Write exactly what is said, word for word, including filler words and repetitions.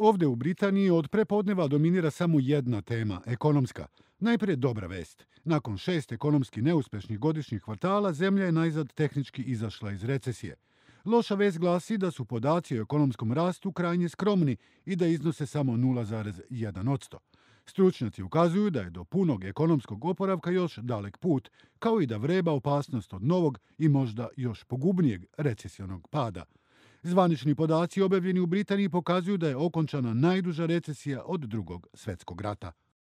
Ovde u Britaniji od prepodneva dominira samo jedna tema, ekonomska. Najprije dobra vest. Nakon šest ekonomski neuspešnih godišnjih kvartala, zemlja je najzad tehnički izašla iz recesije. Loša vest glasi da su podaci o ekonomskom rastu krajnje skromni i da iznose samo nula zarez jedan posto. Stručnjaci ukazuju da je do punog ekonomskog oporavka još dalek put, kao i da vreba opasnost od novog i možda još pogubnijeg recesionog pada. Zvanični podaci objavljeni u Britaniji pokazuju da je okončana najduža recesija od drugog svetskog rata.